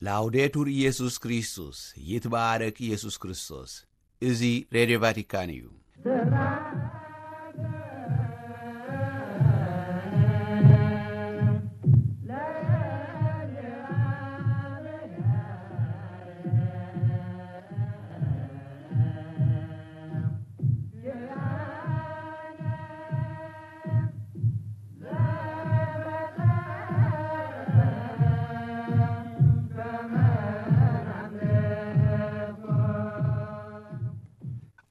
ላውዴቱር ኢየሱስ ክርስቶስ፣ ይትባረክ ኢየሱስ ክርስቶስ። እዚ ሬድዮ ቫቲካን እዩ።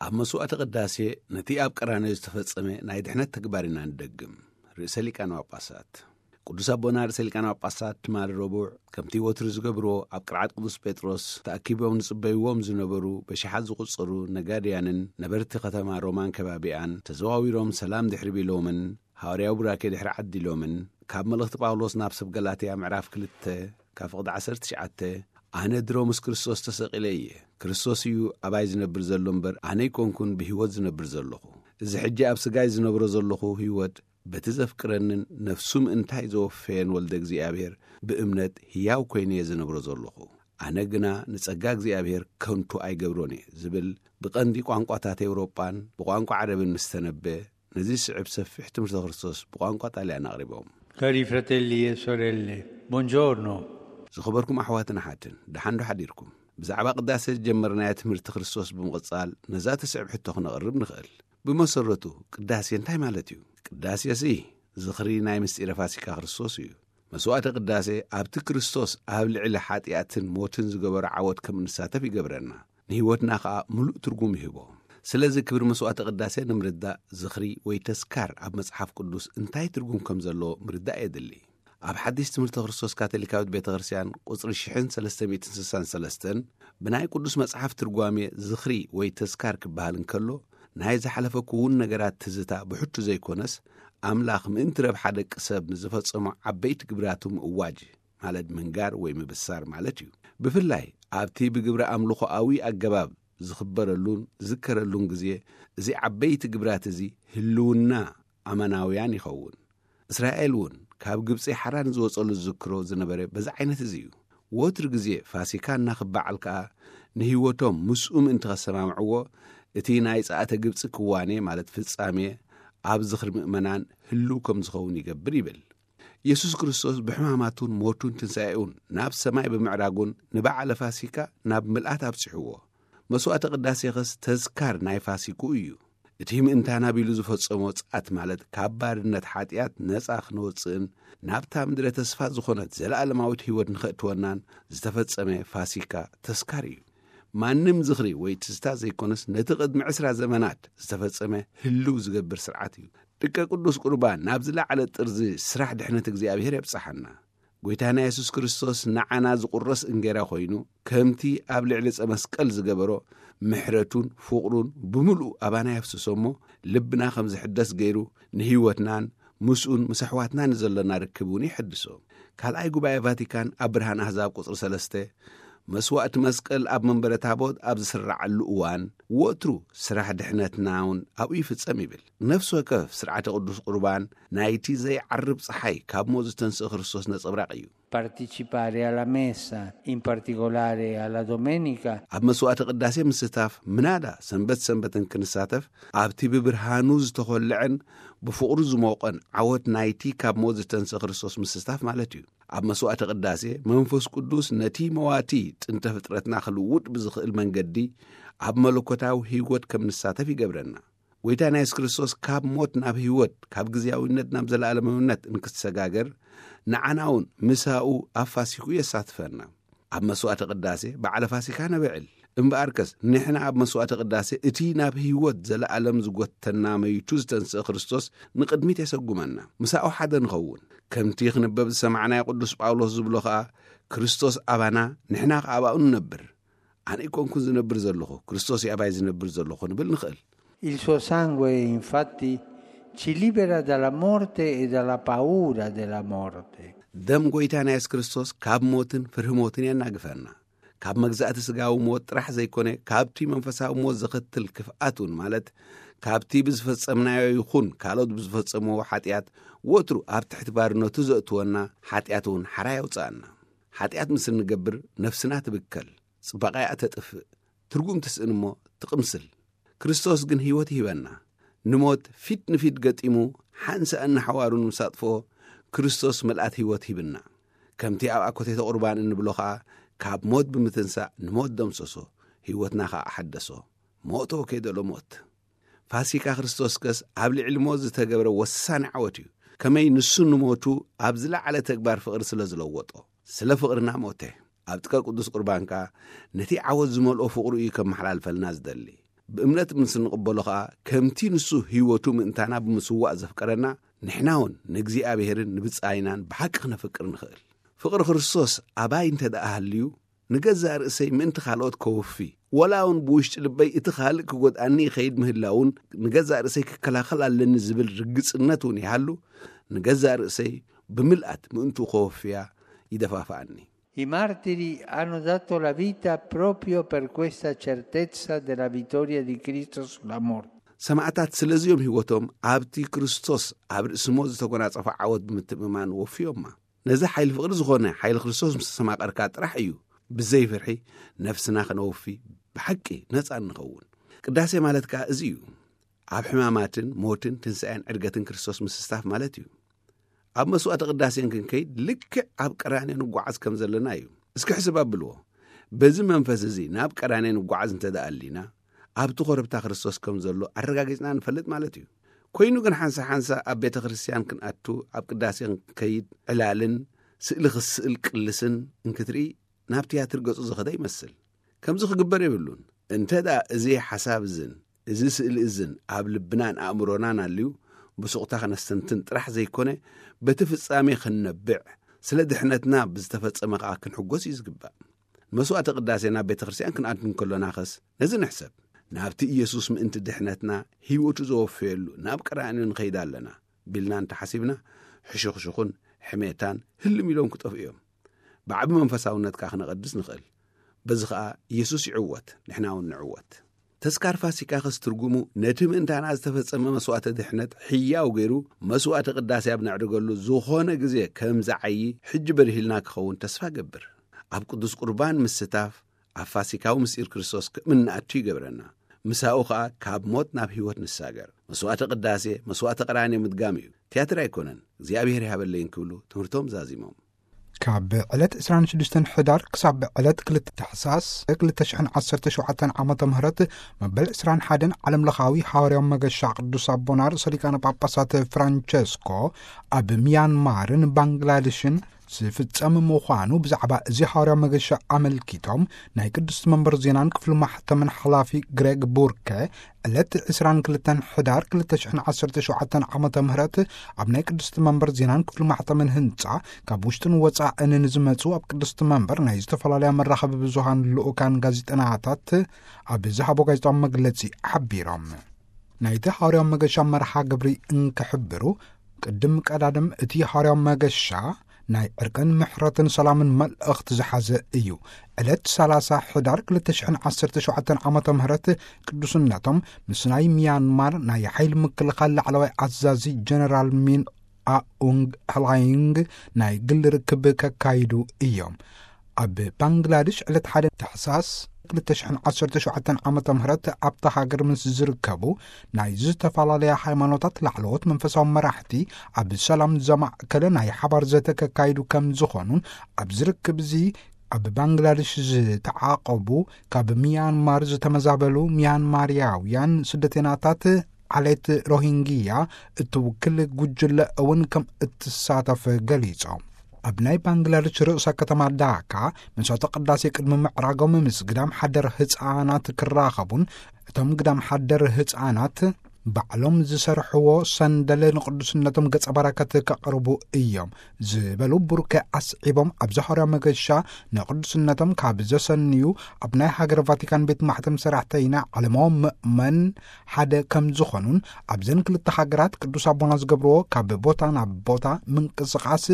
ኣብ መስዋዕተ ቅዳሴ ነቲ ኣብ ቀራንዮ ዝተፈጸመ ናይ ድሕነት ተግባር ኢና ንደግም። ርእሰ ሊቃነ ጳጳሳት ቅዱስ ኣቦና ርእሰ ሊቃነ ጳጳሳት ትማሊ ረቡዕ፣ ከምቲ ወትሩ ዝገብርዎ፣ ኣብ ቅርዓት ቅዱስ ጴጥሮስ ተኣኪቦም ዝጽበይዎም ዝነበሩ በሽሓት ዝቑጸሩ ነጋድያንን ነበርቲ ከተማ ሮማን ከባቢኣን ተዘዋዊሮም ሰላም ድሕሪ ቢሎምን፣ ሃዋርያዊ ቡራኬ ድሕሪ ዓዲሎምን፣ ካብ መልእኽቲ ጳውሎስ ናብ ሰብ ገላትያ ምዕራፍ ክልተ ካብ ፍቕዲ ዓሰርተ ትሽዓተ፣ ኣነ ድሮ ምስ ክርስቶስ ተሰቒለ እየ። ክርስቶስ እዩ ኣባይ ዝነብር ዘሎ እምበር፣ ኣነ ኣይኮንኩን ብህይወት ዝነብር ዘለኹ። እዚ ሕጂ ኣብ ስጋይ ዝነብሮ ዘለኹ ህይወት፣ በቲ ዘፍቅረንን ነፍሱ ምእንታይ ዘወፈየን ወልደ እግዚኣብሔር ብእምነት ህያው ኮይነ እየ ዝነብሮ ዘለኹ። ኣነ ግና ንጸጋ እግዚኣብሔር ከንቱ ኣይገብሮን እየ ዝብል ብቐንዲ ቋንቋታት ኤውሮጳን ብቋንቋ ዓረብን ምስ ተነበ፣ ነዚ ዝስዕብ ሰፊሕ ትምህርተ ክርስቶስ ብቋንቋ ጣልያን ኣቕሪቦም። Cari fratelli e sorelle, buongiorno። ዝኸበርኩም ኣሕዋትን ኣሓትን፣ ደሓን ዶ ሓዲርኩም? ብዛዕባ ቅዳሴ ዝጀመርናዮ ትምህርቲ ክርስቶስ ብምቕጻል፣ ነዛ ትስዕብ ሕቶ ክነቕርብ ንኽእል። ብመሰረቱ፣ ቅዳሴ እንታይ ማለት እዩ? ቅዳሴሲ ዝኽሪ ናይ ምስጢረ ፋሲካ ክርስቶስ እዩ። መስዋዕተ ቅዳሴ ኣብቲ ክርስቶስ ኣብ ልዕሊ ሓጢኣትን ሞትን ዝገበሮ ዓወት ከም እንሳተፍ ይገብረና። ንህይወትና ኸኣ ምሉእ ትርጉም ይህቦ። ስለዚ ክብሪ መስዋዕተ ቅዳሴ ንምርዳእ ዝኽሪ ወይ ተስካር ኣብ መጽሓፍ ቅዱስ እንታይ ትርጉም ከም ዘለዎ ምርዳእ የድሊ። ኣብ ሓድሽ ትምህርተ ክርስቶስ ካቶሊካዊት ቤተ ክርስቲያን ቁጽሪ ሽሕን ሰለስተ ሚእትን ስሳን ሰለስተን ብናይ ቅዱስ መጽሓፍ ትርጓሜ ዝኽሪ ወይ ተስካር ክበሃል እንከሎ፣ ናይ ዝሓለፈ ክውን ነገራት ትዝታ ብሕቱ ዘይኮነስ፣ ኣምላኽ ምእንቲ ረብሓ ደቂ ሰብ ንዝፈጸሞ ዓበይቲ ግብራቱ ምእዋጅ፣ ማለት ምንጋር ወይ ምብሳር ማለት እዩ። ብፍላይ ኣብቲ ብግብረ ኣምልኾኣዊ ኣገባብ ዝኽበረሉን ዝዝከረሉን ግዜ፣ እዚ ዓበይቲ ግብራት እዚ ህልውና ኣማናውያን ይኸውን። እስራኤል እውን ካብ ግብጺ ሓራ ንዝወጸሉ ዝዝክሮ ዝነበረ በዚ ዓይነት እዚ እዩ። ወትሩ ግዜ ፋሲካ እናኽበዓል ከኣ ንህይወቶም ምስኡ ምእንቲ ከሰማምዕዎ፣ እቲ ናይ ጸኣተ ግብጺ ክዋኔ፣ ማለት ፍጻሜ፣ ኣብ ዝኽሪ ምእመናን ህልው ከም ዝኸውን ይገብር ይብል። የሱስ ክርስቶስ ብሕማማቱን ሞቱን ትንሳኤኡን ናብ ሰማይ ብምዕራጉን ንበዓለ ፋሲካ ናብ ምልኣት ኣብጺሕዎ። መስዋዕተ ቅዳሴኸስ ተዝካር ናይ ፋሲክኡ እዩ። እቲ ምእንታና ቢሉ ዝፈጸሞ ጸኣት፣ ማለት ካብ ባርነት ሓጢኣት ነጻ ክንወጽእን ናብታ ምድረ ተስፋ ዝኾነት ዘለኣለማዊት ህይወት ንኸእትወናን ዝተፈጸመ ፋሲካ ተስካር እዩ። ማንም ዝኽሪ ወይ ትዝታ ዘይኮነስ፣ ነቲ ቅድሚ ዕስራ ዘመናት ዝተፈጸመ ህልው ዝገብር ስርዓት እዩ። ደቀ ቅዱስ ቁርባን ናብ ዝለዓለ ጥርዚ ስራሕ ድሕነት እግዚኣብሔር የብጽሓና። ጐይታና የሱስ ክርስቶስ ንዓና ዝቑረስ እንጌራ ኮይኑ፣ ከምቲ ኣብ ልዕሊ ዕጸ መስቀል ዝገበሮ፣ ምሕረቱን ፍቕሩን ብምሉእ ኣባና የፍስሶ እሞ፣ ልብና ከም ዝሕደስ ገይሩ፣ ንህይወትናን ምስኡን ምስ ኣሕዋትና ንዘሎና ርክብ እውን ይሕድሶ። ካልኣይ ጉባኤ ቫቲካን ኣብ ብርሃን ኣህዛብ ቁጽሪ ሰለስተ፣ መስዋእቲ መስቀል ኣብ መንበረ ታቦት ኣብ ዝስራዓሉ እዋን፣ ወትሩ ስራሕ ድሕነትና እውን ኣብኡ ይፍጸም ይብል። ነፍሲ ወከፍ ስርዓተ ቅዱስ ቁርባን ናይቲ ዘይዓርብ ጸሓይ ካብ ሞት ዝተንስእ ክርስቶስ ነጸብራቕ እዩ። Partecipare alla messa, in particolare alla domenica። ኣብ መስዋዕቲ ቅዳሴ ምስታፍ፣ ምናዳ ሰንበት ሰንበትን ክንሳተፍ፣ ኣብቲ ብብርሃኑ ዝተኾልዐን ብፍቕሩ ዝሞቐን ዓወት ናይቲ ካብ ሞት ዝተንስእ ክርስቶስ ምስታፍ ማለት እዩ። ኣብ መስዋዕቲ ቅዳሴ፣ መንፈስ ቅዱስ ነቲ መዋቲ ጥንተ ፍጥረትና ክልውጥ ብዝኽእል መንገዲ ኣብ መለኮታዊ ህይወት ከም ንሳተፍ ይገብረና። ጐይታና የሱስ ክርስቶስ ካብ ሞት ናብ ህይወት፣ ካብ ግዝያዊነት ናብ ዘለኣለማዊነት እንክትሰጋገር፣ ንዓና እውን ምሳኡ ኣብ ፋሲክኡ የሳትፈና። ኣብ መስዋዕተ ቅዳሴ በዓለ ፋሲካ ነበዕል። እምበኣርከስ፣ ንሕና ኣብ መስዋዕተ ቅዳሴ እቲ ናብ ህይወት ዘለኣለም ዝጎተና መይቱ ዝተንስአ ክርስቶስ ንቕድሚት የሰጉመና። ምሳኡ ሓደ ንኸውን። ከምቲ ክንበብ ዝሰማዕናዮ ቅዱስ ጳውሎስ ዝብሎ ኸኣ፣ ክርስቶስ ኣባና፣ ንሕና ኸኣ ኣባኡ ንነብር። ኣነ ኣይኮንኩን ዝነብር ዘለኹ፣ ክርስቶስ እዩ ኣባይ ዝነብር ዘለኹ ክንብል ንኽእል። Il suo sangue, infatti, ci libera dalla morte e dalla paura della morte. ደም ጐይታና የሱስ ክርስቶስ ካብ ሞትን ፍርሂ ሞትን የናግፈና። ካብ መግዛእቲ ስጋዊ ሞት ጥራሕ ዘይኮነ፣ ካብቲ መንፈሳዊ ሞት ዘኸትል ክፍኣት እውን፣ ማለት ካብቲ ብዝፈጸምናዮ ይኹን ካልኦት ብዝፈጸምዎ ሓጢኣት ወትሩ ኣብ ትሕቲ ባርነቱ ዘእትወና ሓጢኣት እውን ሓራ የውጽኣና። ሓጢኣት ምስ እንገብር ነፍስና ትብከል፣ ጽባቐያ ተጥፍእ፣ ትርጉም ትስእን እሞ ትቕምስል። ክርስቶስ ግን ህይወት ይህበና። ንሞት ፊት ንፊት ገጢሙ ሓንሳእ እናሓዋሩ ንምሳጥፍኦ ክርስቶስ መልኣት ህይወት ሂብና። ከምቲ ኣብ ኣኮቴተ ቁርባን እንብሎ ኸኣ ካብ ሞት ብምትንሳእ ንሞት ደምሰሶ፣ ህይወትና ኸኣ ኣሓደሶ። ሞቶ ከይደሎ ሞት። ፋሲካ ክርስቶስ ከስ ኣብ ልዕሊ ሞት ዝተገብረ ወሳኒ ዓወት እዩ። ከመይ ንሱ ንሞቱ ኣብ ዝለዓለ ተግባር ፍቕሪ ስለ ዝለወጦ። ስለ ፍቕርና ሞተ። ኣብ ጥቃ ቅዱስ ቁርባን ከኣ ነቲ ዓወት ዝመልኦ ፍቕሩ እዩ ከመሓላልፈልና ዝደሊ። ብእምነት ምስ እንቕበሎ ኸኣ ከምቲ ንሱ ህይወቱ ምእንታና ብምስዋእ ዘፍቀረና፣ ንሕና እውን ንእግዚኣብሔርን ንብጻይናን ብሓቂ ክነፍቅር ንኽእል። ፍቕሪ ክርስቶስ ኣባይ እንተ ደኣ ሃልዩ፣ ንገዛእ ርእሰይ ምእንቲ ካልኦት ከወፊ፣ ወላ እውን ብውሽጢ ልበይ እቲ ካልእ ክጎድኣኒ ይኸይድ ምህላውን ንገዛእ ርእሰይ ክከላኸል ኣለኒ ዝብል ርግጽነት እውን ይሃሉ፣ ንገዛእ ርእሰይ ብምልኣት ምእንቱ ከወፍያ ይደፋፍኣኒ። I martiri hanno dato la vita proprio per questa certezza della vittoria di Cristo sulla morte. ሰማዕታት ስለዚኦም ህይወቶም ኣብቲ ክርስቶስ ኣብ ርእሲ ሞት ዝተጎናጸፈ ዓወት ብምትእምማን ወፍዮማ። ነዚ ሓይሊ ፍቕሪ ዝኾነ ሓይሊ ክርስቶስ ምስ ተሰማቐርካ ጥራሕ እዩ ብዘይ ፍርሒ ነፍስና ከነወፊ ብሓቂ ነጻ እንኸውን። ቅዳሴ ማለት ከኣ እዚ እዩ። ኣብ ሕማማትን ሞትን ትንሳኤን ዕርገትን ክርስቶስ ምስስታፍ ማለት እዩ። ኣብ መስዋዕተ ቅዳሴን ክንከይድ ልክዕ ኣብ ቀራንዮ ንጓዓዝ ከም ዘለና እዩ። እስኪ ሕስብ ኣብልዎ። በዚ መንፈስ እዚ ናብ ቀራንዮ ንጓዓዝ እንተ ደኣ ኣሊና፣ ኣብቲ ኮረብታ ክርስቶስ ከም ዘሎ ኣረጋጊጽና ንፈልጥ ማለት እዩ። ኮይኑ ግን ሓንሳ ሓንሳ ኣብ ቤተ ክርስቲያን ክንኣቱ፣ ኣብ ቅዳሴ ክንከይድ ዕላልን ስእሊ ክስእል ቅልስን እንክትርኢ ናብ ትያትር ገጹ ዝኸደ ይመስል። ከምዚ ክግበር የብሉን። እንተ ደኣ እዚ ሓሳብ እዝን እዚ ስእሊ እዝን ኣብ ልብናን ኣእምሮናን ኣልዩ ብሱቕታ ከነስተንትን ጥራሕ ዘይኮነ፣ በቲ ፍጻሜ ክንነብዕ፣ ስለ ድሕነትና ብዝተፈጸመ ከኣ ክንሕጎስ እዩ ዝግባእ። መስዋዕተ ቅዳሴ ናብ ቤተ ክርስቲያን ክንኣቱ እንከሎና ኸስ ነዚ ንሕሰብ። ናብቲ ኢየሱስ ምእንቲ ድሕነትና ህይወቱ ዘወፈየሉ ናብ ቀራንዮ ንኸይድ ኣለና ቢልና እንተሓሲብና፣ ሕሹኽሹኽን ሕሜታን ህልም ኢሎም ክጠፍኡ እዮም። ብዓቢ መንፈሳውነት ከኣ ክነቐድስ ንኽእል። በዚ ኸኣ ኢየሱስ ይዕወት፣ ንሕና እውን ንዕወት። ተስካር ፋሲካ ኸስ ትርጉሙ ነቲ ምእንታና ዝተፈጸመ መስዋዕተ ድሕነት ሕያው ገይሩ መስዋዕተ ቅዳሴ ኣብ ነዕርገሉ ዝኾነ ግዜ ከም ዝዓዪ ሕጂ በድሂልና ክኸውን ተስፋ ገብር። ኣብ ቅዱስ ቁርባን ምስታፍ ኣብ ፋሲካዊ ምስጢር ክርስቶስ ከም እንኣቱ ይገብረና። ምሳኡ ኸኣ ካብ ሞት ናብ ህይወት ንሳገር። መስዋዕተ ቅዳሴ፣ መስዋዕተ ቀራንዮ ምድጋም እዩ። ትያትር ኣይኮነን። እግዚኣብሔር ይሃበለይን ክብሉ ትምህርቶም ዛዚሞም። ካብ ዕለት ዕስራን ሽዱሽተን ሕዳር ክሳብ ዕለት ክልተ ታሕሳስ ክልተ ሽሕን ዓሰርተ ሸውዓተን ዓመተ ምህረት መበል ዕስራን ሓደን ዓለም ለኻዊ ሃዋርያዊ መገሻ ቅዱስ ኣቦና ርእሰ ሊቃነ ጳጳሳት ፍራንቸስኮ ኣብ ሚያንማርን ባንግላዴሽን ዝፍጸም ምዃኑ ብዛዕባ እዚ ሃዋርያዊ መገሻ ኣመልኪቶም ናይ ቅድስቲ መንበር ዜናን ክፍሊ ማሕተምን ሓላፊ ግሬግ ቡርከ ዕለት ዕስራን ክልተን ሕዳር ክልተ ሽሕን ዓሰርተ ሸውዓተን ዓመተ ምህረት ኣብ ናይ ቅድስቲ መንበር ዜናን ክፍሊ ማሕተምን ህንጻ ካብ ውሽጥን ወጻእን ንዝመጹ ኣብ ቅድስቲ መንበር ናይ ዝተፈላለያ መራኸቢ ብዙሃን ልኡካን ጋዜጠናታት ኣብ ዝሃቦ ጋዜጣዊ መግለጺ ሓቢሮም። ናይቲ ሃዋርያዊ መገሻ መርሓ ግብሪ እንክሕብሩ ቅድም ቀዳድም እቲ ሃዋርያዊ መገሻ ናይ ዕርቅን ምሕረትን ሰላምን መልእኽቲ ዝሓዘ እዩ። ዕለት ሰላሳ ሕዳር ክልተ ሽሕን ዓሰርተ ሸውዓተን ዓመተ ምህረት ቅዱስነቶም ምስ ናይ ሚያንማር ናይ ሓይሊ ምክልኻል ላዕለዋይ ኣዛዚ ጀነራል ሚን ኣኡንግ ህላይንግ ናይ ግል ርክብ ከካይዱ እዮም። ኣብ ባንግላዴሽ ዕለት ሓደ ታሕሳስ ክልተ ሽሕን ዓሰርተ ሸውዓተን ዓመተ ምህረት ኣብታ ሃገር ምስ ዝርከቡ ናይ ዝተፈላለያ ሃይማኖታት ላዕለዎት መንፈሳዊ መራሕቲ ኣብ ሰላም ዘማእከለ ናይ ሓባር ዘተ ከካይዱ ከም ዝኾኑን ኣብዚ ርክብ እዚ ኣብ ባንግላዴሽ ዝተዓቐቡ ካብ ሚያንማር ዝተመዛበሉ ሚያንማርያውያን ስደተናታት ዓሌት ሮሂንግያ እትውክል ጉጅለ እውን ከም እትሳተፍ ገሊጾም። ኣብ ናይ ባንግላዴሽ ርእሰ ከተማ ዳካ መስዋዕተ ቅዳሴ ቅድሚ ምዕራጎም ምስ ግዳም ሓደር ህፃናት ክራኸቡን እቶም ግዳም ሓደር ህፃናት ባዕሎም ዝሰርሕዎ ሰንደል ንቅዱስነቶም ገጸ በረከት ከቕርቡ እዮም ዝበሉ ቡርከ ኣስዒቦም፣ ኣብዚ ሃዋርያዊ መገሻ ንቅዱስነቶም ካብ ዘሰንዩ ኣብ ናይ ሃገር ቫቲካን ቤት ማሕተም ሰራሕተይና ዓለማዊ ምእመን ሓደ ከም ዝኾኑን ኣብዘን ክልተ ሃገራት ቅዱስ ኣቦና ዝገብርዎ ካብ ቦታ ናብ ቦታ ምንቅስቓስ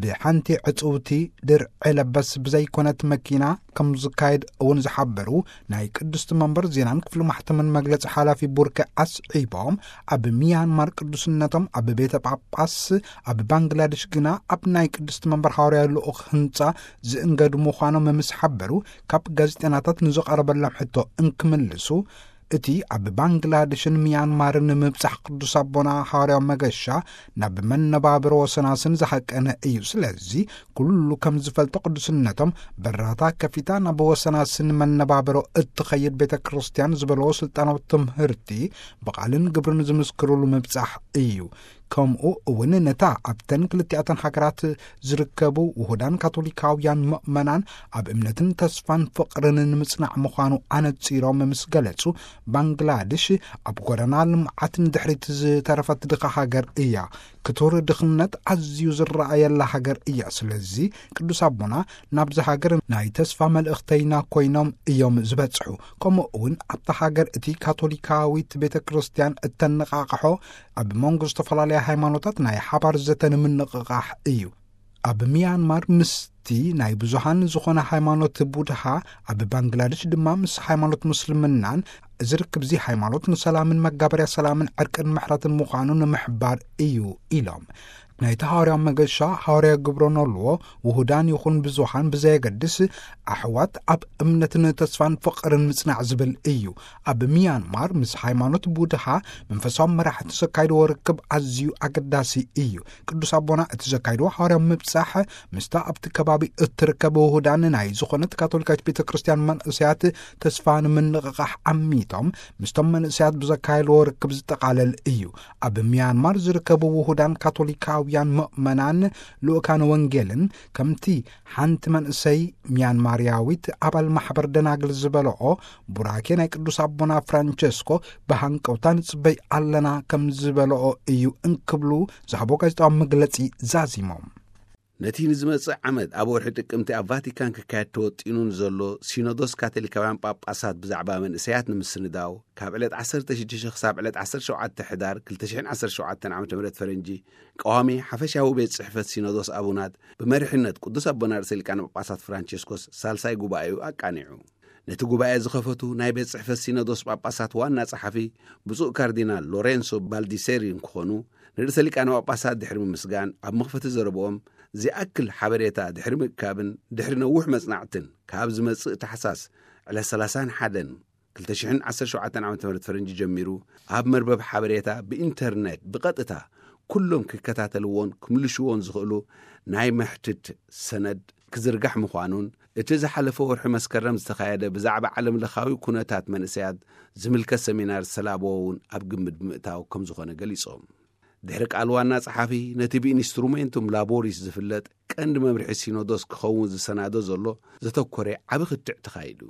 ብሓንቲ ዕጽውቲ ድርዒ ለበስ ብዘይኮነት መኪና ከም ዝካየድ እውን ዝሓበሩ ናይ ቅድስቲ መንበር ዜናን ክፍሊ ማሕተምን መግለጺ ሓላፊ ቡርከ ኣስዒቦም፣ ኣብ ሚያንማር ቅዱስነቶም ኣብ ቤተ ጳጳስ ኣብ ባንግላደሽ ግና ኣብ ናይ ቅድስቲ መንበር ሃዋርያዊ ልኡኽ ህንጻ ዝእንገዱ ምዃኖም ምስ ሓበሩ፣ ካብ ጋዜጠናታት ንዝቐረበሎም ሕቶ እንክምልሱ፣ እቲ ኣብ ባንግላደሽን ሚያንማርን ንምብጻሕ ቅዱስ ኣቦና ሃዋርያዊ መገሻ ናብ መነባብሮ ወሰናስን ዝሃቀነ እዩ። ስለዚ ኩሉ ከም ዝፈልጦ ቅዱስነቶም በራታ ከፊታ ናብ ወሰናስን መነባብሮ እትኸይድ ቤተ ክርስቲያን ዝበለዎ ስልጣናዊ ትምህርቲ ብቓልን ግብርን ዝምስክሩሉ ምብጻሕ እዩ። ከምኡ እውን ነታ ኣብተን ክልቲኣተን ሃገራት ዝርከቡ ውሁዳን ካቶሊካውያን ምእመናን ኣብ እምነትን ተስፋን ፍቕርን ንምጽናዕ ምዃኑ ኣነጺሮም ምስ ገለጹ፣ ባንግላድሽ ኣብ ጎደና ልምዓት ንድሕሪት ዝተረፈት ድኻ ሃገር እያ። ክቱር ድኽነት ኣዝዩ ዝረኣየላ ሃገር እያ። ስለዚ ቅዱስ ኣቦና ናብዚ ሃገር ናይ ተስፋ መልእኽተይና ኮይኖም እዮም ዝበጽሑ። ከምኡ እውን ኣብታ ሃገር እቲ ካቶሊካዊት ቤተ ክርስቲያን እተነቓቕሖ ኣብ መንጎ ዝተፈላለያ ሃይማኖታት ናይ ሓባር ዘተ ንምንቕቓሕ እዩ። ኣብ ሚያንማር ምስቲ ናይ ብዙሃን ዝኾነ ሃይማኖት ቡድሃ፣ ኣብ ባንግላደሽ ድማ ምስ ሃይማኖት ሙስልምናን፣ እዚ ርክብዚ ሃይማኖት ንሰላምን መጋበርያ ሰላምን ዕርቅን ምሕረትን ምዃኑ ንምሕባር እዩ ኢሎም። ናይቲ ሃዋርያዊ መገሻ ሃዋርያዊ ግብረ ኖልዎ ውሁዳን ይኹን ብዙሃን ብዘየገድስ ኣሕዋት ኣብ እምነትን ተስፋን ፍቕርን ምጽናዕ ዝብል እዩ። ኣብ ሚያንማር ምስ ሃይማኖት ቡድሃ መንፈሳዊ መራሕቲ ዘካይድዎ ርክብ ኣዝዩ ኣገዳሲ እዩ። ቅዱስ ኣቦና እቲ ዘካይድዎ ሃዋርያዊ ምብጻሕ ምስታ ኣብቲ ከባቢ እትርከብ ውሁዳን ናይ ዝኾነት ካቶሊካዊት ቤተ ክርስቲያን መንእሰያት ተስፋ ንምንቕቓሕ ዓሚቶም ምስቶም መንእሰያት ብዘካየድዎ ርክብ ዝጠቓለል እዩ። ኣብ ሚያንማር ዝርከቡ ውሁዳን ካቶሊካውያን ምእመናን ልኡካን ወንጌልን ከምቲ ሓንቲ መንእሰይ ሚያንማርያዊት ኣባል ማሕበር ደናግል ዝበለኦ ቡራኬ ናይ ቅዱስ ኣቦና ፍራንቸስኮ ብሃንቀውታ ንጽበይ ኣለና ከም ዝበለኦ እዩ እንክብሉ ዝሃቦ ጋዜጣዊ መግለጺ ዛዚሞም። ነቲ ንዝመጽእ ዓመት ኣብ ወርሒ ጥቅምቲ ኣብ ቫቲካን ክካየድ ተወጢኑ ንዘሎ ሲኖዶስ ካቶሊካውያን ጳጳሳት ብዛዕባ መንእሰያት ንምስንዳው፣ ካብ ዕለት ዓሰርተ ሽዱሽተ ክሳብ ዕለት ዓሰርተ ሸውዓተ ሕዳር ክልተ ሽሕን ዓሰርተ ሸውዓተን ዓመተ ምህረት ፈረንጂ፣ ቀዋሚ ሓፈሻዊ ቤት ጽሕፈት ሲኖዶስ ኣቡናት ብመሪሕነት ቅዱስ ኣቦና ርእሰ ሊቃነ ጳጳሳት ፍራንቸስኮስ ሳልሳይ ጉባኤኡ ኣቃኒዑ። ነቲ ጉባኤ ዝኸፈቱ ናይ ቤት ጽሕፈት ሲኖዶስ ጳጳሳት ዋና ጸሓፊ ብፁዕ ካርዲናል ሎሬንሶ ባልዲሴሪ እንክኾኑ፣ ንርእሰ ሊቃነ ጳጳሳት ድሕሪ ምምስጋን፣ ኣብ መኽፈቲ ዘረብኦም፣ ዝኣክል ሓበሬታ ድሕሪ ምእካብን ድሕሪ ነዊሕ መጽናዕትን፣ ካብ ዝመጽእ ታሕሳስ ዕለት ሰላሳን ሓደን ክልተ ሽሕን ዓሰርተ ሸውዓተን ዓመተ ምህረት ፈረንጂ ጀሚሩ፣ ኣብ መርበብ ሓበሬታ ብኢንተርኔት ብቐጥታ ኩሎም ክከታተልዎን ክምልሽዎን ዝኽእሉ ናይ መሕትት ሰነድ ክዝርጋሕ ምዃኑን፣ እቲ ዝሓለፈ ወርሒ መስከረም ዝተኻየደ ብዛዕባ ዓለም ለኻዊ ኩነታት መንእሰያት ዝምልከት ሰሚናር ዝተላበወ እውን ኣብ ግምት ብምእታው ከም ዝኾነ ገሊጾም። ድሕሪ ቃል ዋና ጸሓፊ፣ ነቲ ብኢንስትሩሜንቱም ላቦሪስ ዝፍለጥ ቀንዲ መምርሒ ሲኖዶስ ክኸውን ዝሰናዶ ዘሎ ዘተኮረ ዓቢ ክትዕ ተኻይዱ።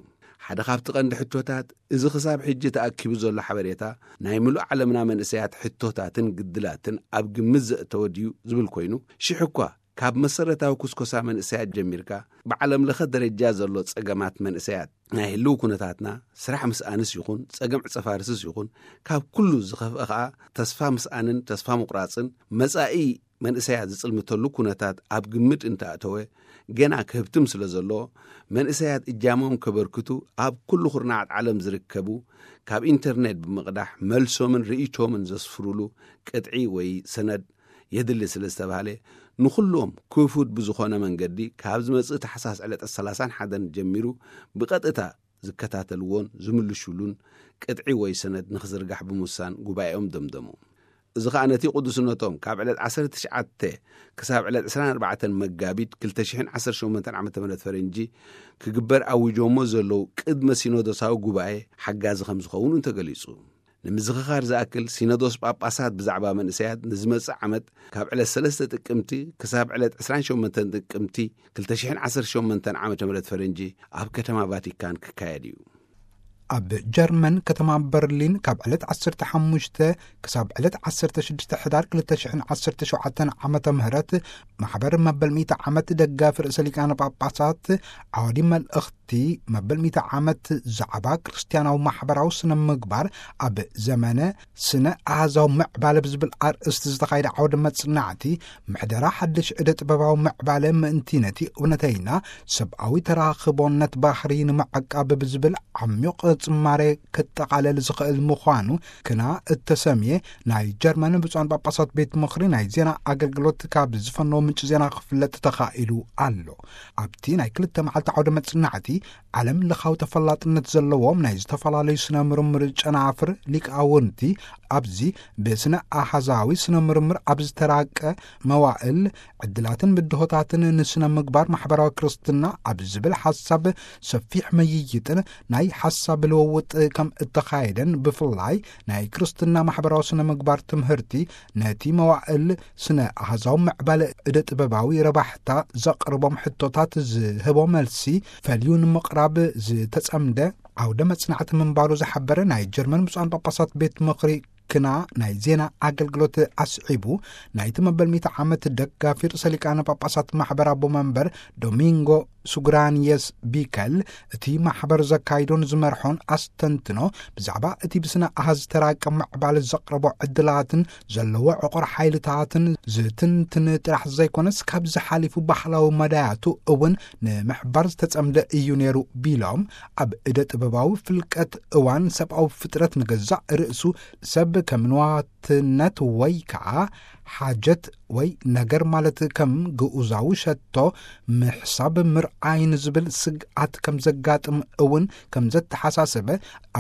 ሓደ ካብቲ ቀንዲ ሕቶታት፣ እዚ ክሳብ ሕጂ ተኣኪቡ ዘሎ ሓበሬታ ናይ ምሉእ ዓለምና መንእሰያት ሕቶታትን ግድላትን ኣብ ግምት ዘእተወ ድዩ ዝብል ኮይኑ፣ ሽሕ እኳ ካብ መሰረታዊ ኩስኮሳ መንእሰያት ጀሚርካ፣ ብዓለም ለኸ ደረጃ ዘሎ ጸገማት መንእሰያት፣ ናይ ህልው ኩነታትና፣ ስራሕ ምስኣንስ ይኹን ጸገም ዕጸፋርስስ ይኹን፣ ካብ ኩሉ ዝኸፍአ ኸኣ ተስፋ ምስኣንን ተስፋ ምቑራጽን፣ መጻኢ መንእሰያት ዝጽልምተሉ ኩነታት ኣብ ግምት እንተኣተወ፣ ገና ክህብትም ስለ ዘሎ፣ መንእሰያት እጃሞም ከበርክቱ ኣብ ኩሉ ኩርናዓት ዓለም ዝርከቡ፣ ካብ ኢንተርኔት ብምቕዳሕ መልሶምን ርእይቶምን ዘስፍሩሉ ቅጥዒ ወይ ሰነድ የድሊ ስለ ዝተባህለ፣ ንኹሎም ክፉት ብዝኾነ መንገዲ ካብ ዝመጽእ ታሕሳስ ዕለት ሰላሳን ሓደን ጀሚሩ ብቐጥታ ዝከታተልዎን ዝምልሹሉን ቅጥዒ ወይ ሰነድ ንኽዝርጋሕ ብምውሳን ጉባኤኦም ደምደሙ። እዚ ኸኣ ነቲ ቅዱስነቶም ካብ ዕለት ዓሰርተ ትሽዓተ ክሳብ ዕለት ዕስራን ኣርባዕተን መጋቢት ክልተ ሽሕን ዓሰርተ ሸሞንተን ዓመተ ምህረት ፈረንጂ ክግበር ኣዊጆሞ ዘለዉ ቅድመ ሲኖዶሳዊ ጉባኤ ሓጋዚ ከም ዝኸውን እውን ተገሊጹ። ንምዝኽኻር ዝኣክል፣ ሲኖዶስ ጳጳሳት ብዛዕባ መንእሰያት ንዝመጽእ ዓመት ካብ ዕለት ሰለስተ ጥቅምቲ ክሳብ ዕለት ዕስራን ሸሞንተን ጥቅምቲ ክልተ ሽሕን ዓሰርተ ሸሞንተን ዓመተ ምህረት ፈረንጂ ኣብ ከተማ ቫቲካን ክካየድ እዩ። ኣብ ጀርመን ከተማ በርሊን ካብ ዕለት ዓሰርተ ሓሙሽተ ክሳብ ዕለት ዓሰርተ ሽዱሽተ ሕዳር ክልተ ሽሕን ዓሰርተ ሸውዓተን ዓመተ ምህረት ማሕበር መበል ሚእቲ ዓመት ደጋፊ ርእሰ ሊቃነ ጳጳሳት ዓዋዲ መልእኽቲ እቲ መበል ሚእቲ ዓመት ዛዕባ ክርስትያናዊ ማሕበራዊ ስነ ምግባር ኣብ ዘመነ ስነ ኣሃዛዊ ምዕባለ ብዝብል ኣርእስቲ ዝተኻየደ ዓውደ መጽናዕቲ፣ ምሕደራ ሓድሽ ዕደ ጥበባዊ ምዕባለ ምእንቲ ነቲ እውነተይና ሰብኣዊ ተራኽቦነት ባህሪ ንምዕቃብ ብዝብል ዓሚቕ ጽማሬ ክጠቓለል ዝኽእል ምዃኑ ክና እተሰምየ ናይ ጀርመን ብፁዓን ጳጳሳት ቤት ምኽሪ ናይ ዜና ኣገልግሎት ካብ ዝፈነዎ ምንጪ ዜና ክፍለጥ ተኻኢሉ ኣሎ። ኣብቲ ናይ ክልተ መዓልቲ ዓውደ መጽናዕቲ፣ ዓለም ለኻዊ ተፈላጥነት ዘለዎም ናይ ዝተፈላለዩ ስነ ምርምር ጨናፍር ሊቃውንቲ ኣብዚ ብስነ ኣሃዛዊ ስነ ምርምር ኣብ ዝተራቀ መዋእል ዕድላትን ብድሆታትን ንስነ ምግባር ማሕበራዊ ክርስትና ኣብ ዝብል ሓሳብ ሰፊሕ ምይይጥን ናይ ሓሳብ ልውውጥ ከም እተኻየደን፣ ብፍላይ ናይ ክርስትና ማሕበራዊ ስነ ምግባር ትምህርቲ ነቲ መዋእል ስነ ኣሃዛዊ ምዕባለ እደ ጥበባዊ ረባሕታ ዘቕርቦም ሕቶታት ዝህቦ መልሲ ፈልዩ ንምቕራብ ዝተጸምደ ዓውደ መጽናዕቲ ምንባሩ ዝሓበረ ናይ ጀርመን ብፁዓን ጳጳሳት ቤት ምኽሪ ክና ናይ ዜና ኣገልግሎት ኣስዒቡ፣ ናይቲ መበል ሚእቲ ዓመት ደጋፊ ርእሰ ሊቃነ ጳጳሳት ማሕበር ኣቦ መንበር ዶሚንጎ ሱግራንየስ ቢከል፣ እቲ ማሕበር ዘካይዶን ዝመርሖን ኣስተንትኖ ብዛዕባ እቲ ብስነ ኣሃዝ ተራቀ ምዕባለ ዘቕረቦ ዕድላትን ዘለዎ ዕቑር ሓይልታትን ዝትንትን ጥራሕ ዘይኮነስ፣ ካብዚ ሓሊፉ ባህላዊ መዳያቱ እውን ንምሕባር ዝተጸምደ እዩ ነይሩ ቢሎም፣ ኣብ እደ ጥበባዊ ፍልቀት እዋን ሰብኣዊ ፍጥረት ንገዛእ ርእሱ ሰብ ከም ንዋትነት ወይ ከዓ ሓጀት ወይ ነገር ማለት ከም ግኡዛዊ ሸቶ ምሕሳብ ምርኣይ ንዝብል ስግኣት ከም ዘጋጥም እውን ከም ዘተሓሳሰበ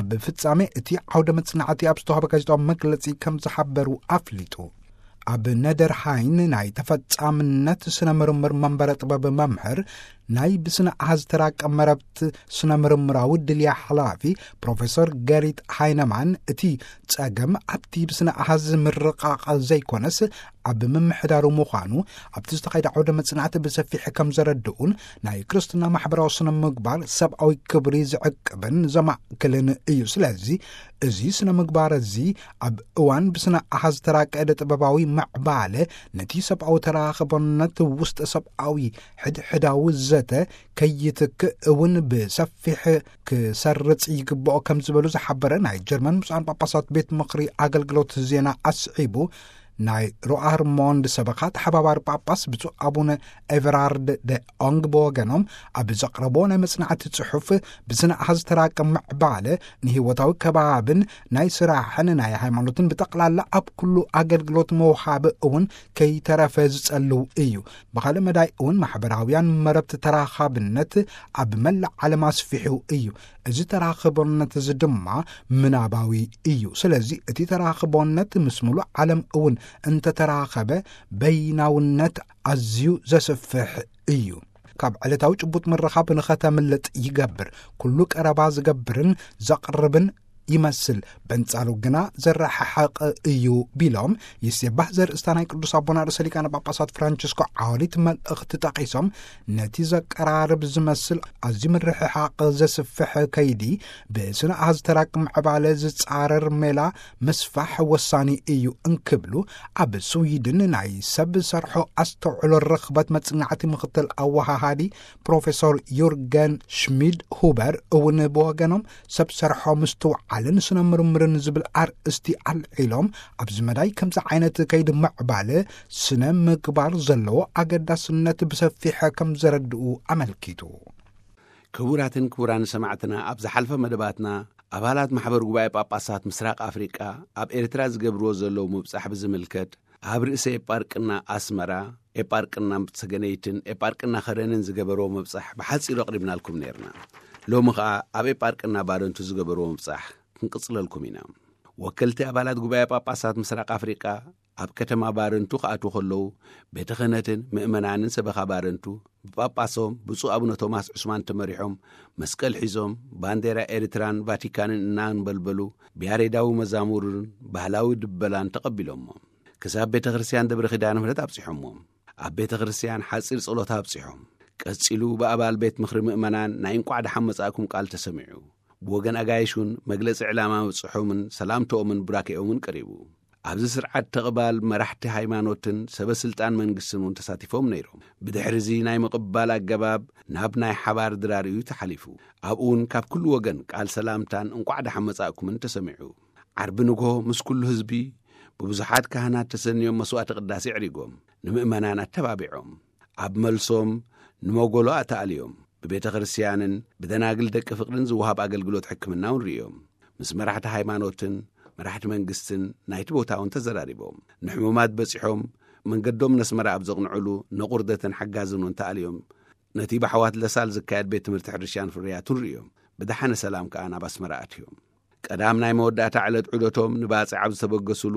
ኣብ ፍጻሜ እቲ ዓውደ መጽናዕቲ ኣብ ዝተዋህበ ጋዜጣዊ መግለጺ ከም ዝሓበሩ ኣፍሊጡ። ኣብ ነደርሃይን ናይ ተፈጻምነት ስነ ምርምር መንበረ ጥበብ መምህር ናይ ብስነ ኣሃዝ ተራቀ መረብት ስነ ምርምራዊ ድልያ ሓላፊ ፕሮፌሰር ገሪት ሃይነማን፣ እቲ ጸገም ኣብቲ ብስነ ኣሃዝ ምርቃቕ ዘይኮነስ ኣብ ምምሕዳሩ ምዃኑ ኣብቲ ዝተኻየደ ዓውደ መጽናዕቲ ብሰፊሕ ከም ዘረድኡን፣ ናይ ክርስትና ማሕበራዊ ስነ ምግባር ሰብኣዊ ክብሪ ዝዕቅብን ዘማእክልን እዩ። ስለዚ እዚ ስነ ምግባር እዚ ኣብ እዋን ብስነ ኣሃዝ ተራቀ እደ ጥበባዊ ምዕባለ ነቲ ሰብኣዊ ተራኽቦነት ውስጥ ሰብኣዊ ሕድሕዳዊ ዘተ ከይትክእ እውን ብሰፊሕ ክሰርጽ ይግብኦ ከም ዝበሉ ዝሓበረ ናይ ጀርመን ብፁዓን ጳጳሳት ቤት ምኽሪ ኣገልግሎት ዜና ኣስዒቡ፣ ናይ ሮኣርሞንድ ሰበኻ ተሓባባሪ ጳጳስ ብፁዕ ኣቡነ ኤቨራርድ ደ ኦንግ ብወገኖም ኣብ ዘቕረቦ ናይ መጽናዕቲ ጽሑፍ፣ ብስነ ኣሃዝ ተራቀ ምዕባለ ንህይወታዊ ከባብን ናይ ስራሕን ናይ ሃይማኖትን ብጠቕላላ ኣብ ኩሉ ኣገልግሎት መውሃቢ እውን ከይተረፈ ዝጸልው እዩ። ብኻልእ መዳይ እውን ማሕበራውያን መረብቲ ተራኻብነት ኣብ መላእ ዓለም ኣስፊሑ እዩ። እዚ ተራኽቦነት እዚ ድማ ምናባዊ እዩ። ስለዚ እቲ ተራኽቦነት ምስ ሙሉእ ዓለም እውን እንተተራኸበ በይናውነት ኣዝዩ ዘስፍሕ እዩ። ካብ ዕለታዊ ጭቡጥ ምርኻብ ንኸተምልጥ ይገብር። ኩሉ ቀረባ ዝገብርን ዘቕርብን ይመስል፣ በንጻሩ ግና ዘረሓሕቕ እዩ ቢሎም፣ ይሴባህ ዘርእስታ ናይ ቅዱስ ኣቦና ርእሰ ሊቃነ ጳጳሳት ፍራንቸስኮ ዓወሊት መልእኽቲ ጠቒሶም፣ ነቲ ዘቀራርብ ዝመስል ኣዝዩ ምርሕሓቕ ዘስፍሕ ከይዲ ብስነ ኣሃዝ ተራቂ ምዕባለ ዝጻረር ሜላ ምስፋሕ ወሳኒ እዩ እንክብሉ፣ ኣብ ስዊድን ናይ ሰብ ሰርሖ ኣስተውዕሎ ርኽበት መጽናዕቲ ምኽትል ኣወሃሃዲ ፕሮፌሰር ዩርገን ሽሚድ ሁበር እውን ብወገኖም፣ ሰብ ሰርሖ ምስትውዓልን ስነ ምርምርን ዝብል ኣርእስቲ ኣልዒሎም፣ ኣብዚ መዳይ ከምዚ ዓይነት ከይዲ ምዕባለ ስነ ምግባር ዘለዎ ኣገዳስነት ብሰፊሐ ከም ዘረድኡ ኣመልኪቱ። ክቡራትን ክቡራን ሰማዕትና፣ ኣብ ዝሓልፈ መደባትና ኣባላት ማሕበር ጉባኤ ጳጳሳት ምስራቅ ኣፍሪቃ ኣብ ኤርትራ ዝገብርዎ ዘለዉ ምብጻሕ ብዝምልከት፣ ኣብ ርእሰ ኤጳርቅና ኣስመራ፣ ኤጳርቅና ሰገነይትን ኤጳርቅና ከረንን ዝገበርዎ ምብጻሕ ብሓጺሩ ኣቕሪብናልኩም ነይርና። ሎሚ ኸኣ ኣብ ኤጳርቅና ባረንቱ ዝገበርዎ ምብጻሕ ክንቅጽለልኩም ኢና። ወከልቲ ኣባላት ጉባኤ ጳጳሳት ምስራቅ ኣፍሪቃ ኣብ ከተማ ባረንቱ ክኣትዉ ከለዉ፣ ቤተ ክህነትን ምእመናንን ሰበኻ ባረንቱ ብጳጳሶም ብፁዕ ኣቡነ ቶማስ ዑስማን ተመሪሖም፣ መስቀል ሒዞም፣ ባንዴራ ኤርትራን ቫቲካንን እናንበልበሉ፣ ብያሬዳዊ መዛሙርን ባህላዊ ድበላን ተቐቢሎሞ። ክሳብ ቤተ ክርስቲያን ደብረ ኪዳነ ምሕረት ኣብጺሖሞም። ኣብ ቤተ ክርስቲያን ሓጺር ጸሎት ኣብጺሖም። ቀጺሉ ብኣባል ቤት ምኽሪ ምእመናን ናይ እንቋዕ ደሓን መጻእኩም ቃል ተሰሚዑ። ብወገን ኣጋይሽ እውን መግለጺ ዕላማ ምብጽሖምን ሰላምተኦምን ቡራኬኦምን ቀሪቡ። ኣብዚ ስርዓት ተቕባል መራሕቲ ሃይማኖትን ሰበ ስልጣን መንግስትን እውን ተሳቲፎም ነይሮም። ብድሕሪ እዚ ናይ ምቕባል ኣገባብ ናብ ናይ ሓባር ድራር እዩ ተሓሊፉ። ኣብኡ እውን ካብ ኩሉ ወገን ቃል ሰላምታን እንቋዕ ደሓን መጻእኩምን ተሰሚዑ። ዓርቢ ንግሆ ምስ ኩሉ ህዝቢ ብብዙሓት ካህናት ተሰንዮም መስዋዕተ ቅዳሴ ኣዕሪጎም፣ ንምእመናን ኣተባቢዖም። ኣብ መልሶም ንመጎሎ ኣተኣልዮም። ብቤተ ክርስቲያንን ብደናግል ደቂ ፍቕርን ዝወሃብ ኣገልግሎት ሕክምና እውን ርእዮም። ምስ መራሕቲ ሃይማኖትን መራሕቲ መንግስትን ናይቲ ቦታ እውን ተዘራሪቦም። ንሕሙማት በጺሖም መንገዶም ነስመራ ኣብ ዘቕንዕሉ ነቑርደትን ሓጋዝን እውን ተኣልዮም። ነቲ ብሓዋት ለሳል ዝካየድ ቤት ትምህርቲ ሕርሻን ፍርያቱን ርእዮም። ብደሓነ ሰላም ከኣ ናብ ኣስመራ ኣትዮም። ቀዳም ናይ መወዳእታ ዕለት ዑደቶም ንባጽዕ ኣብ ዝተበገሱሉ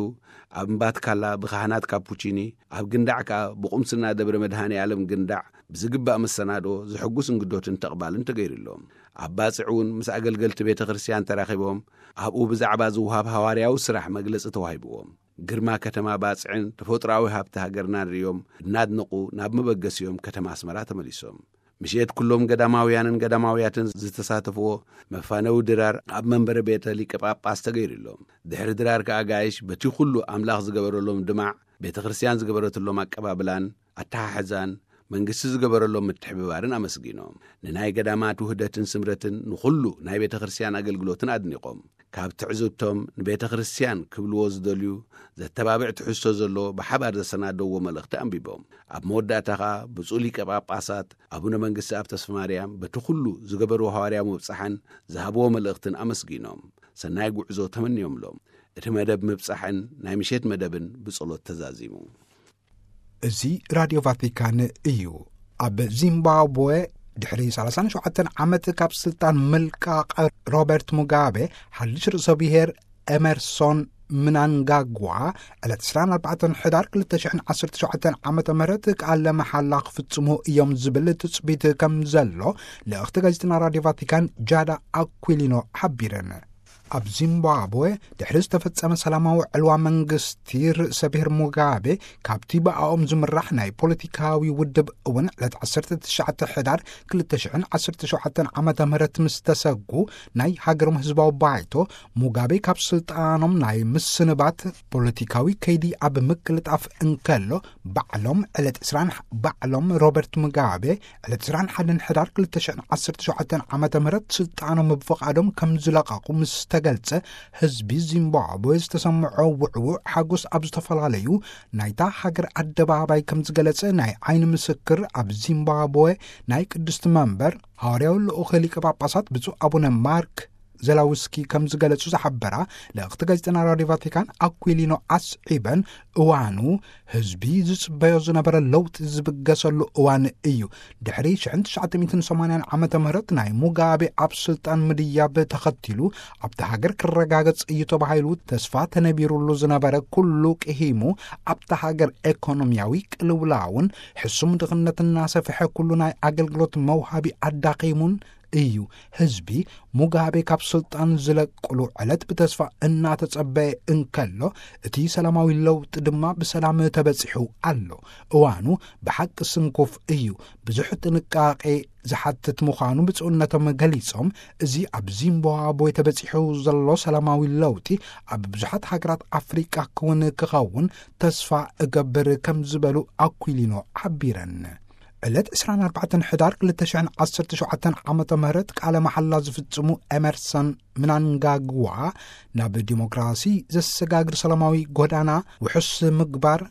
ኣብ እምባትካላ ብካህናት ካፑቺኒ፣ ኣብ ግንዳዕ ከኣ ብቁምስና ደብረ መድሃኔ ዓለም ግንዳዕ ብዝግባእ መሰናድኦ፣ ዝሕጉስ እንግዶትን ተቕባልን ተገይሩሎም። ኣብ ባጽዕ እውን ምስ ኣገልገልቲ ቤተ ክርስቲያን ተራኺቦም ኣብኡ ብዛዕባ ዝውሃብ ሃዋርያዊ ስራሕ መግለጺ ተዋሂብዎም። ግርማ ከተማ ባጽዕን ተፈጥሮኣዊ ሃብቲ ሃገርናን ርእዮም እናድነቑ ናብ መበገሲኦም ከተማ ኣስመራ ተመሊሶም። ምሽት ኩሎም ገዳማውያንን ገዳማውያትን ዝተሳተፍዎ መፋነዊ ድራር ኣብ መንበረ ቤተ ሊቀ ጳጳስ ተገይሩሎም። ድሕሪ ድራር ከኣ ኣጋይሽ በቲ ኩሉ ኣምላኽ ዝገበረሎም ድማዕ፣ ቤተ ክርስቲያን ዝገበረትሎም ኣቀባብላን ኣተሓሕዛን፣ መንግስቲ ዝገበረሎም ምትሕብባርን ኣመስጊኖም። ንናይ ገዳማት ውህደትን ስምረትን ንኹሉ ናይ ቤተ ክርስቲያን ኣገልግሎትን ኣድኒቖም። ካብ ትዕዝብቶም ንቤተ ክርስቲያን ክብልዎ ዝደልዩ ዘተባብዕ ትሕዝቶ ዘለዎ ብሓባር ዘሰናደውዎ መልእኽቲ ኣንቢቦም። ኣብ መወዳእታ ኸኣ ብፁዕ ሊቀ ጳጳሳት ኣቡነ መንግስቲ ኣብ ተስፋ ማርያም በቲ ኩሉ ዝገበርዎ ሃዋርያዊ ምብጻሕን ዝሃብዎ መልእኽትን ኣመስጊኖም ሰናይ ጉዕዞ ተመንዮምሎም። እቲ መደብ ምብጻሕን ናይ ምሸት መደብን ብጸሎት ተዛዚሙ። እዚ ራድዮ ቫቲካን እዩ። ኣብ ዚምባብወ ድሕሪ ሰላሳን ሸውዓተን ዓመት ካብ ስልጣን ምልቃቕ ሮበርት ሙጋቤ፣ ሓድሽ ርእሰ ብሔር ኤመርሶን ምናንጋጓ ዕለት ዕስራን ኣርባዕተን ሕዳር ክልተ ሽሕን ዓሰርተ ሸውዓተን ዓመተ ምህረት ቃለ መሓላ ክፍጽሙ እዮም ዝብል ትጽቢት ከም ዘሎ ልእኽቲ ጋዜጠና ራድዮ ቫቲካን ጃዳ ኣኩሊኖ ሓቢረን። ኣብ ዚምባብወ ድሕሪ ዝተፈጸመ ሰላማዊ ዕልዋ መንግስቲ ርእሰ ብሔር ሙጋቤ ካብቲ ብኣኦም ዝምራሕ ናይ ፖለቲካዊ ውድብ እውን ዕለት ዓሰርተ ትሽዓተ ሕዳር ክልተ ሽሕን ዓሰርተ ሸውዓተን ዓመተ ምህረት ምስ ተሰጉ ናይ ሃገሮም ህዝባዊ ባይቶ ሙጋቤ ካብ ስልጣኖም ናይ ምስንባት ፖለቲካዊ ከይዲ ኣብ ምቅልጣፍ እንከሎ ባዕሎም ዕለት ዕስራን ባዕሎም ሮበርት ሙጋቤ ዕለት ዕስራን ሓደን ሕዳር ክልተ ሽሕን ዓሰርተ ሸውዓተን ዓመተ ምህረት ስልጣኖም ብፍቓዶም ከም ዝለቐቑ ምስ ተገልጸ፣ ህዝቢ ዚምባብወ ዝተሰምዖ ውዕውዕ ሓጎስ ኣብ ዝተፈላለዩ ናይታ ሃገር ኣደባባይ ከም ዝገለጸ ናይ ዓይኒ ምስክር ኣብ ዚምባብወ ናይ ቅድስቲ መንበር ሃዋርያዊ ልኡኽ ሊቀ ጳጳሳት ብፁዕ ኣቡነ ማርክ ዘላውስኪ ከም ዝገለጹ ዝሓበራ ልእኽቲ ጋዜጠና ራድዮ ቫቲካን ኣኩሊኖ ኣስዒበን፣ እዋኑ ህዝቢ ዝጽበዮ ዝነበረ ለውጢ ዝብገሰሉ እዋን እዩ። ድሕሪ ሽሕን ትሽዓተ ሚእትን ሰማንያን ዓመተ ምህረት ናይ ሙጋቤ ኣብ ስልጣን ምድያብ ተኸቲሉ ኣብቲ ሃገር ክረጋገጽ እዩ ተባሂሉ ተስፋ ተነቢሩሉ ዝነበረ ኩሉ ቅሂሙ ኣብቲ ሃገር ኤኮኖሚያዊ ቅልውላውን ሕሱም ድኽነት እናሰፍሐ ኩሉ ናይ ኣገልግሎት መውሃቢ ኣዳኺሙን እዩ። ህዝቢ ሙጋቤ ካብ ስልጣን ዝለቅሉ ዕለት ብተስፋ እናተጸበየ እንከሎ፣ እቲ ሰላማዊ ለውጢ ድማ ብሰላም ተበጺሑ ኣሎ። እዋኑ ብሓቂ ስንኩፍ እዩ። ብዙሕ ጥንቃቄ ዝሓትት ምዃኑ ብፁዕነቶም ገሊጾም፣ እዚ ኣብ ዚምባብዌ ተበጺሑ ዘሎ ሰላማዊ ለውጢ ኣብ ብዙሓት ሃገራት ኣፍሪቃ ክውን ክኸውን ተስፋ እገብር ከም ዝበሉ ኣኩሊኖ ሓቢረን። ዕለት ዕስራን ኣርባዕተን ሕዳር ክልተ ሽሕን ዓሰርተ ሸውዓተን ዓመተ ምህረት ቃለ መሓላ ዝፍጽሙ ኤመርሰን ምናንጋግዋ ናብ ዲሞክራሲ ዘሰጋግር ሰላማዊ ጎዳና ውሑስ ምግባር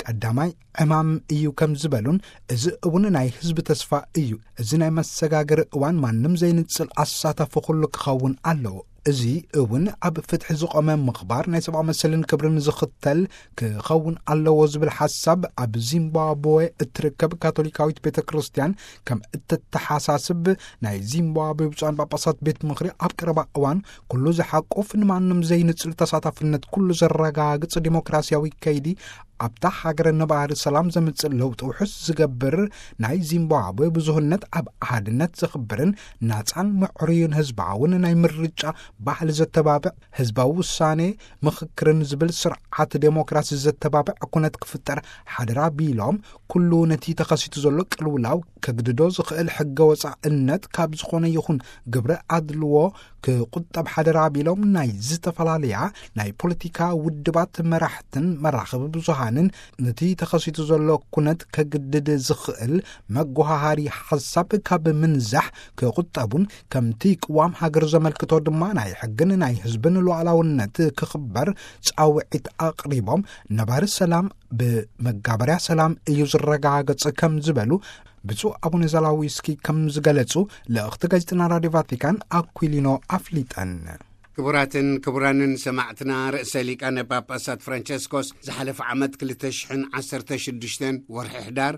ቀዳማይ ዕማም እዩ ከም ዝበሉን፣ እዚ እውን ናይ ህዝቢ ተስፋ እዩ። እዚ ናይ መሰጋገሪ እዋን ማንም ዘይንጽል ኣሳታፊ ኩሉ ክኸውን ኣለዎ። እዚ እውን ኣብ ፍትሒ ዝቖመ ምኽባር ናይ ሰብኣዊ መሰልን ክብርን ዝኽተል ክኸውን ኣለዎ ዝብል ሓሳብ ኣብ ዚምባብዌ እትርከብ ካቶሊካዊት ቤተ ክርስቲያን ከም እተተሓሳስብ ናይ ዚምባብዌ ብፁዓን ጳጳሳት ቤት ምኽሪ ኣብ ቀረባ እዋን ኩሉ ዝሓቁፍ ንማንም ዘይንጽል ተሳታፍነት ኩሉ ዘረጋግጽ ዲሞክራሲያዊ ከይዲ ኣብታ ሃገር ነባሪ ሰላም ዘምጽእ ለውጢ ውሑስ ዝገብር፣ ናይ ዚምባብዌ ብዙህነት ኣብ ኣሃድነት ዘኽብርን ናጻን ምዕሩይን ህዝባውን ናይ ምርጫ ባህሊ ዘተባብዕ፣ ህዝባዊ ውሳኔ ምኽክርን ዝብል ስርዓት ዴሞክራሲ ዘተባብዕ ኩነት ክፍጠር ሓደራ ቢሎም፣ ኩሉ ነቲ ተኸሲቱ ዘሎ ቅልውላው ከግድዶ ዝኽእል ሕገ ወጻእነት ካብ ዝኾነ ይኹን ግብረ ኣድልዎ ክቁጠብ ሓደራ ቢሎም፣ ናይ ዝተፈላለያ ናይ ፖለቲካ ውድባት መራሕትን መራኸቢ ብዙሃንን ነቲ ተኸሲቱ ዘሎ ኩነት ከግድድ ዝኽእል መጓሃሃሪ ሓሳብ ካብ ምንዛሕ ክቁጠቡን፣ ከምቲ ቅዋም ሃገር ዘመልክቶ ድማ ናይ ሕግን ናይ ህዝብን ሉዓላውነት ክኽበር ጻውዒት ኣቕሪቦም፣ ነባሪ ሰላም ብመጋበርያ ሰላም እዩ ዝረጋገጽ ከም ዝበሉ ብፁዕ ኣቡነ ዘላዊስኪ ከም ዝገለጹ ልእኽቲ ጋዜጠና ራድዮ ቫቲካን ኣኩሊኖ ኣፍሊጠን። ክቡራትን ክቡራንን ሰማዕትና፣ ርእሰ ሊቃነ ጳጳሳት ፍራንቸስኮስ ዝሓለፈ ዓመት ክልተ ሽሕን ዓሰርተ ሽዱሽተን ወርሒ ሕዳር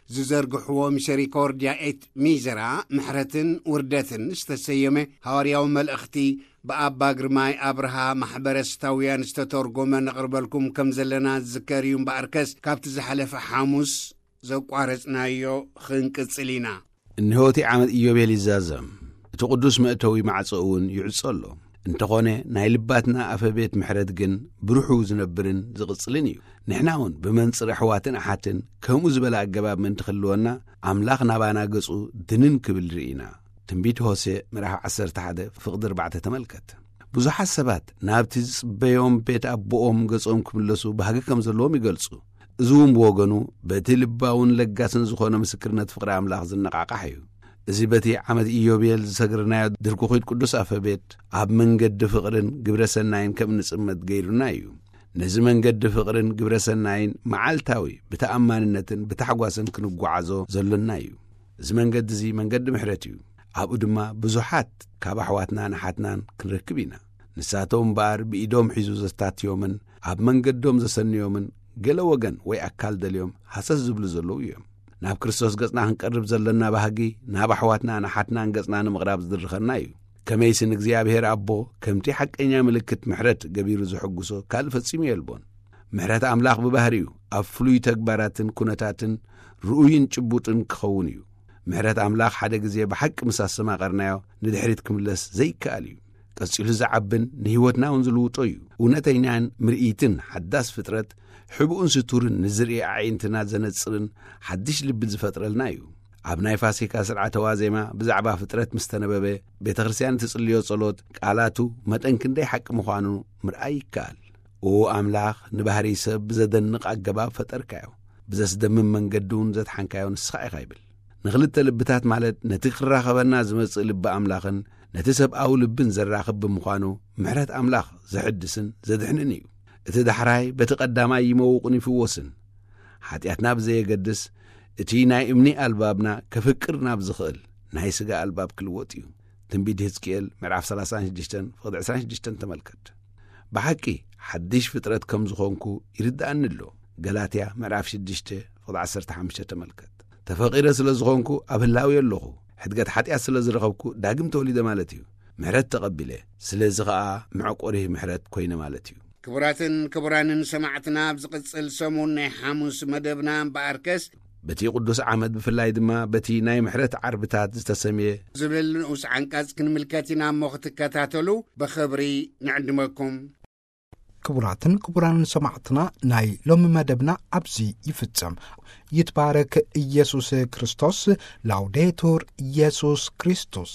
ዝዘርግሕዎ ሚሰሪኮርድያ ኤት ሚዘራ፣ ምሕረትን ውርደትን ዝተሰየመ ሃዋርያዊ መልእኽቲ ብኣባ ግርማይ ኣብርሃ ማሕበረስታውያን ዝተተርጎመ ነቕርበልኩም ከም ዘለና ዝዝከር እዩ። እምበኣርከስ ካብቲ ዝሓለፈ ሓሙስ ዘቋረጽናዮ ኽንቅጽል ኢና። እንሆ እቲ ዓመት ኢዮቤል ይዛዘም፣ እቲ ቅዱስ መእተዊ ማዕጾ እውን ይዕጾ ኣሎ። እንተኾነ ናይ ልባትና ኣፈ ቤት ምሕረት ግን ብሩሑ ዝነብርን ዝቕጽልን እዩ። ንሕና እውን ብመንጽር ኣሕዋትን ኣሓትን ከምኡ ዝበለ ኣገባብ ምእንቲ ክህልወና፣ ኣምላኽ ናባና ገጹ ድንን ክብል ርኢና። ትንቢት ሆሴ ምዕራፍ ዓሰርተ ሓደ ፍቕዲ ኣርባዕተ ተመልከት። ብዙሓት ሰባት ናብቲ ዝጽበዮም ቤት ኣቦኦም ገጾም ክምለሱ ባህጊ ከም ዘለዎም ይገልጹ። እዚ እውን ብወገኑ በቲ ልባውን ለጋስን ዝኾነ ምስክርነት ፍቕሪ ኣምላኽ ዝነቓቓሕ እዩ። እዚ በቲ ዓመት ኢዮቤል ዝሰግርናዮ ድርኩኺት ቅዱስ ኣፈ ቤት ኣብ መንገዲ ፍቕርን ግብረ ሰናይን ከም እንጽመድ ገይሩና እዩ። ነዚ መንገዲ ፍቕርን ግብረ ሰናይን መዓልታዊ ብተኣማንነትን ብታሕጓስን ክንጓዓዞ ዘሎና እዩ። እዚ መንገዲ እዚ መንገዲ ምሕረት እዩ። ኣብኡ ድማ ብዙሓት ካብ ኣሕዋትናን ኣሓትናን ክንረክብ ኢና። ንሳቶም እምበኣር ብኢዶም ሒዙ ዘስታትዮምን ኣብ መንገዶም ዘሰንዮምን ገለ ወገን ወይ ኣካል ደልዮም ሃሰስ ዝብሉ ዘለዉ እዮም። ናብ ክርስቶስ ገጽና ክንቀርብ ዘለና ባህጊ ናብ ኣሕዋትናን ኣሓትናን ገጽና ንምቕራብ ዝድርኸና እዩ። ከመይሲ ንእግዚኣብሔር ኣቦ ከምቲ ሓቀኛ ምልክት ምሕረት ገቢሩ ዝሕጉሶ ካልእ ፈጺሙ የልቦን። ምሕረት ኣምላኽ ብባህሪኡ ኣብ ፍሉይ ተግባራትን ኩነታትን ርኡይን ጭቡጥን ክኸውን እዩ። ምሕረት ኣምላኽ ሓደ ግዜ ብሓቂ ምስ ኣስተማቐርናዮ ንድሕሪት ክምለስ ዘይከኣል እዩ። ቀጺሉ ዝዓብን ንህይወትና እውን ዝልውጦ እዩ። እውነተኛን ምርኢትን ሓዳስ ፍጥረት፣ ሕቡእን ስቱርን ንዝርኢ ኣዒንትና ዘነጽርን ሓድሽ ልቢ ዝፈጥረልና እዩ። ኣብ ናይ ፋሲካ ስርዓተ ዋዜማ ብዛዕባ ፍጥረት ምስ ተነበበ፣ ቤተ ክርስቲያን እትጽልዮ ጸሎት ቃላቱ መጠን ክንደይ ሓቂ ምዃኑ ምርኣይ ይከኣል። ኦ ኣምላኽ፣ ንባህሪ ሰብ ብዘደንቕ ኣገባብ ፈጠርካዮ፣ ብዘስደምም መንገዲ እውን ዘድሓንካዮ ንስኻ ኢኻ ይብል። ንኽልተ ልብታት ማለት ነቲ ክራኸበና ዝመጽእ ልቢ ኣምላኽን ነቲ ሰብኣዊ ልብን ዘራኽብ ብምዃኑ፣ ምሕረት ኣምላኽ ዘሕድስን ዘድሕንን እዩ። እቲ ዳሕራይ በቲ ቀዳማይ ይመውቕን ይፍወስን። ሓጢኣትና ብዘየገድስ፣ እቲ ናይ እምኒ ኣልባብና ከፍቅር ናብ ዝኽእል ናይ ስጋ ኣልባብ ክልወጥ እዩ። ትንቢት ህዝቅኤል ምዕራፍ ሰላሳን ሽዱሽተን ፍቕዲ ዕስራን ሽዱሽተን ተመልከት። ብሓቂ ሓድሽ ፍጥረት ከም ዝኾንኩ ይርድኣኒ ኣሎ። ገላትያ ምዕራፍ ሽዱሽተ ፍቕዲ ዓሰርተ ሓሙሽተ ተመልከት። ተፈቒረ ስለ ዝኾንኩ ኣብ ህላዊ ኣለኹ። ሕድገት ሓጢኣት ስለ ዝረኸብኩ ዳግም ተወሊደ ማለት እዩ። ምሕረት ተቐቢለ። ስለዚ ኸኣ መዕቆሪ ምሕረት ኮይነ ማለት እዩ። ክቡራትን ክቡራንን ሰማዕትና፣ ኣብ ዝቕጽል ሰሙን ናይ ሓሙስ መደብና እምበኣርከስ፣ በቲ ቅዱስ ዓመት ብፍላይ ድማ በቲ ናይ ምሕረት ዓርብታት ዝተሰምየ ዝብል ንኡስ ዓንቀጽ ክንምልከት ኢና እሞ ክትከታተሉ ብኽብሪ ንዕድመኩም። ክቡራትን ክቡራንን ሰማዕትና፣ ናይ ሎሚ መደብና ኣብዚ ይፍጸም። ይትባረክ ኢየሱስ ክርስቶስ። ላውዴቱር ኢየሱስ ክርስቶስ።